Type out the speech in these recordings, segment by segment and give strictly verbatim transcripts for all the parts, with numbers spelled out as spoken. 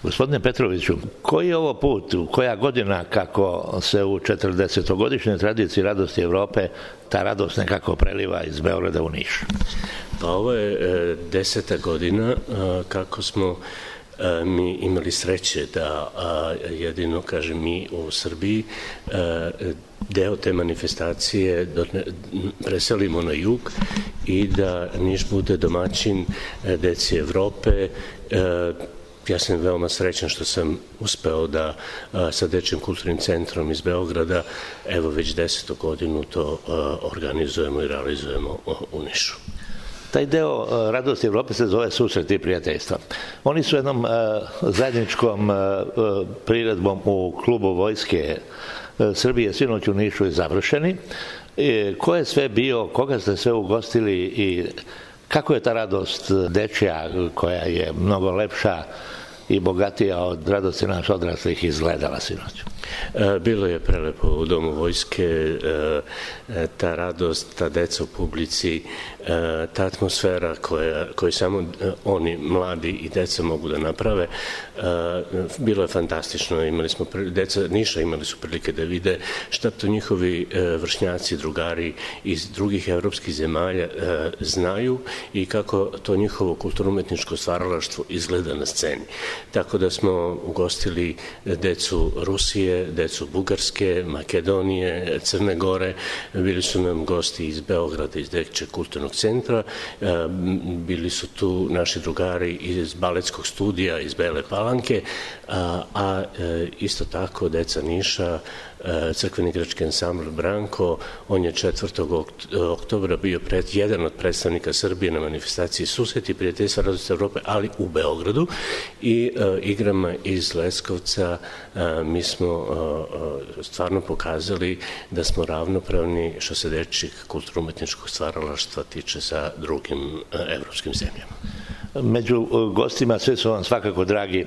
Gospodine Petroviću, koji je ovo put, koja godina kako se u četrdesetogodišnjoj tradiciji Radosti Evrope ta radost nekako preliva iz Beograda u Niš? Pa ovo je e, deseta godina e, kako smo e, mi imali sreće da a, jedino, kažem, mi u Srbiji e, deo te manifestacije preselimo na jug i da Niš bude domaćin e, deci Evrope. E, Ja sam veoma srećan što sam uspeo da a, sa Dečijim kulturnim centrom iz Beograda evo već desetu godinu to a, organizujemo i realizujemo u Nišu. Taj deo Radosti Evrope se zove Susret i prijateljstva. Oni su jednom zajedničkom priredbom u klubu Vojske Srbije sinoć u Nišu i završeni. Ko je sve bio, koga ste sve ugostili i kako je ta radost dečija, koja je mnogo lepša i bogatija od radosti nas odraslih, izgledala sinoć? Bilo je prelepo u Domu Vojske, ta radost, ta deca u publici, ta atmosfera koju samo oni, mladi i deca, mogu da naprave. Bilo je fantastično, imali smo, deca Niša imali su prilike da vide šta to njihovi vršnjaci, drugari iz drugih evropskih zemalja znaju i kako to njihovo kulturno-umetničko stvaralaštvo izgleda na sceni. Tako da smo ugostili decu Rusije, decu Bugarske, Makedonije, Crne Gore, bili su nam gosti iz Beograda, iz Dečijeg kulturnog centra, bili su tu naši drugari iz baletskog studija iz Bele Palanke, a, a isto tako deca Niša, crkveni igrački ansambl Branko, on je četvrtog oktobra bio pred, jedan od predstavnika Srbije na manifestaciji Susret i prijateljstva Radosti Evrope, ali u Beogradu, i uh, igrama iz Leskovca uh, mi smo uh, stvarno pokazali da smo ravnopravni što se dečijeg kulturno-umetničkog stvaralaštva tiče sa drugim uh, evropskim zemljama. Među gostima svi su vam svakako dragi,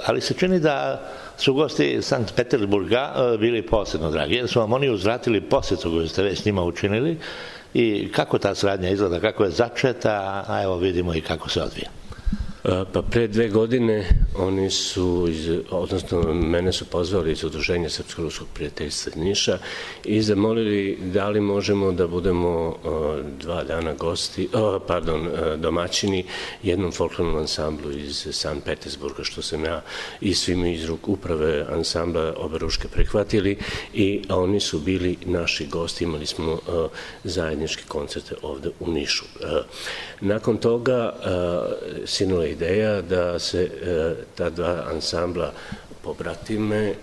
ali se čini da su gosti Sankt Petersburga bili posebno dragi, jer su vam oni uzvratili posetu koju ste već s njima učinili. I kako ta saradnja izgleda, kako je začeta, a evo vidimo i kako se odvija. Pa pre dve godine oni su, iz, odnosno mene su pozvali iz Udruženja Srpsko-ruskog prijateljstva Niša i zamolili da li možemo da budemo dva dana gosti, pardon, domaćini jednom folklornom ansamblu iz Sankt Petersburga, što sam ja i svimi iz ruk uprave ansambla Oberuške prihvatili, i oni su bili naši gosti, imali smo zajedničke koncerte ovde u Nišu. Nakon toga sinula ideja da se ta dva ansambla pobratime,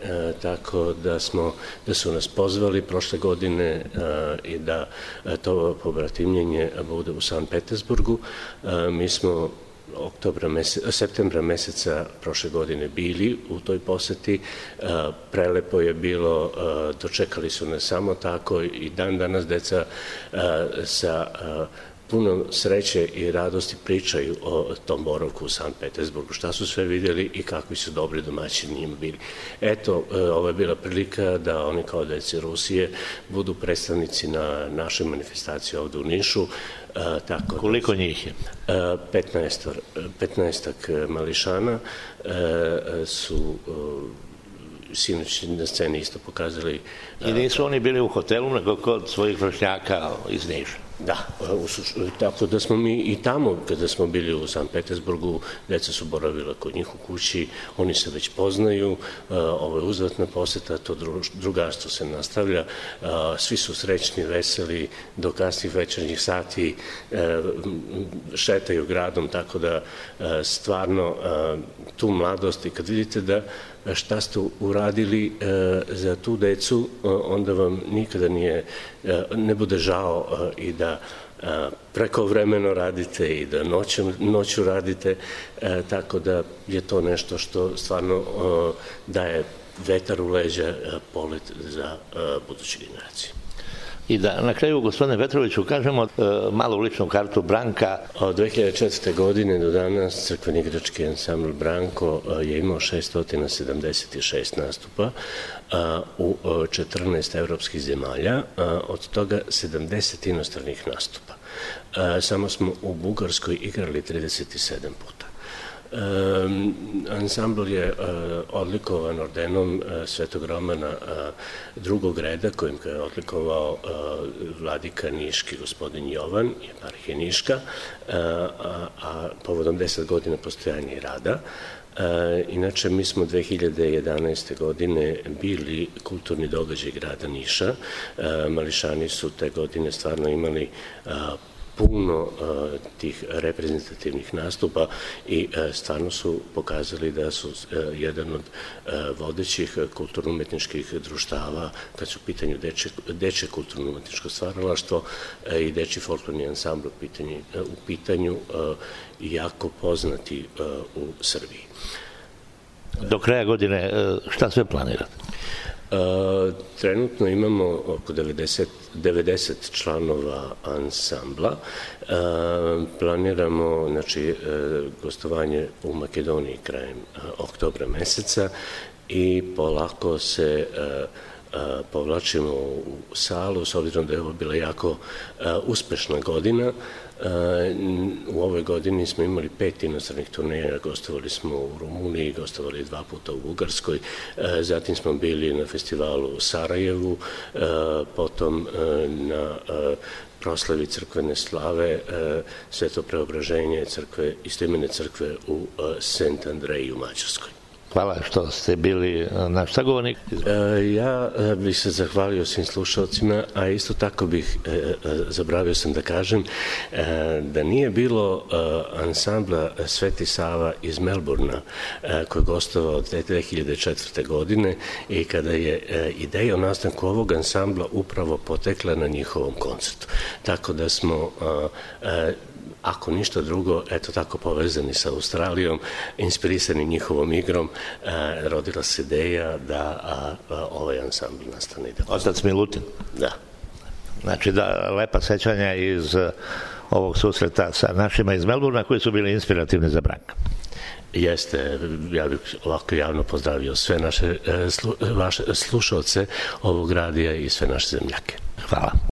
tako da smo, da su nas pozvali prošle godine i da to pobratimljenje bude u Sankt Petersburgu. Mi smo oktobra meseca, septembra meseca prošle godine bili u toj poseti. Prelepo je bilo, dočekali su nas samo tako i dan danas deca sa puno sreće i radosti pričaju o tom boravku u Sankt Petersburgu, šta su sve vidjeli i kakvi su dobri domaćini njima bili. Eto, ovo je bila prilika da oni kao deci Rusije budu predstavnici na našoj manifestaciji ovde u Nišu. Tako, koliko njih je? petnaestak mališana su sinoć na sceni isto pokazali. I nisu oni bili u hotelu, nego kod svojih vršnjaka iz Niša? Da, tako da smo mi i tamo, kada smo bili u Sankt Petersburgu, deca su boravila kod njih u kući, oni se već poznaju, ovo je uzvratna poseta, to drugarstvo se nastavlja, svi su srećni, veseli, do kasnih večernjih sati šetaju gradom, tako da stvarno tu mladost, i kad vidite da šta ste uradili za tu decu, onda vam nikada nije, ne bude žao i da prekovremeno radite i da noću, noću radite, tako da je to nešto što stvarno daje vetar u leđa, polet za buduće generacije. I da na kraju, gospodine Petroviću, kažemo malu ličnu kartu Branka. Od dve hiljade četvrte. godine do danas crkveni igrački ansambl Branko je imao šesto sedamdeset šest nastupa u četrnaest evropskih zemalja, od toga sedamdeset inostranih nastupa. Samo smo u Bugarskoj igrali trideset sedam puta. Ansambl je odlikovan ordenom Svetog Romana drugog reda, kojim ga je odlikovao vladika Niški, gospodin Jovan, eparhija Niška, a povodom deset godina postojanja i rada. Inače, mi smo dve hiljade jedanaeste. godine bili kulturni događaj grada Niša. Mališani su te godine stvarno imali puno tih reprezentativnih nastupa i stvarno su pokazali da su jedan od vodećih kulturno-umetničkih društava kad su u pitanju dečje kulturno-umetničko stvaralaštvo i dečji folklorni ansambl u pitanju jako poznati u Srbiji. Do kraja godine šta sve planirate? Trenutno imamo oko devedeset članova ansambla. Planiramo gostovanje u Makedoniji krajem oktobra meseca i polako se povlačimo u salu, s obzirom da je ovo bila jako uspešna godina. U ovoj godini smo imali pet inostranih turneja, gostovali smo u Rumuniji, gostovali dva puta u Bugarskoj, zatim smo bili na festivalu u Sarajevu, potom na proslavi crkvene slave Sveto preobraženje istoimene crkve u Sent Andreji u Mađarskoj. Hvala što ste bili naš sagovornik. Ja bih se zahvalio svim slušalcima, a isto tako bih, zaboravio sam da kažem, da nije bilo ansambla Sveti Sava iz Melburna koji je gostovao dve hiljade četvrte. godine i kada je ideja o nastanku ovog ansambla upravo potekla na njihovom koncertu. Tako da smo ako ništa drugo, eto tako povezani sa Australijom, inspirisani njihovom igrom, rodila se ideja da ovaj ansambl nastane. Otac Milutin? Da. Znači da lepa sećanja iz ovog susreta sa našima iz Melburna koji su bili inspirativni za Branka. Jeste, ja bih ovako javno pozdravio sve naše slušalce ovog radija i sve naše zemljake. Hvala.